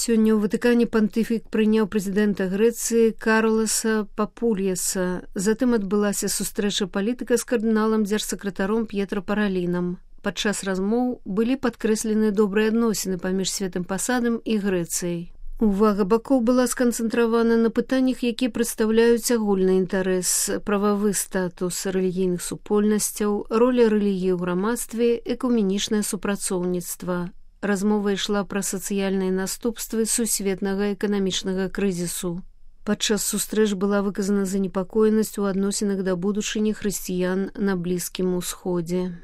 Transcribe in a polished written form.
Сёння ў Ватыкане пантыфік прыняў прэзідэнта Грэцыі Карлоса Папульяса. Затым адбылася сустрэча палітыка з кардыналам дзяржсакратаром П'етра Паралінам. Падчас размоў былі падкрэслены добрыя адносіны паміж Святым Пасадам і Грэцыяй. Увага бакоў была сканцэнтравана на пытаннях, якія прадстаўляюць агульны інтарэс, прававы статус рэлігійных супольнасцяў, роля рэлігіі ў грамадстве, экуменічнае супрацоўніцтва. Размова ішла пра сацыяльныя наступствы сусветнага эканамічнага крызісу. Падчас сустрэч была выказана занепакоенасць у адносінах да будучыні хрысціян на Блізкім Усходзе.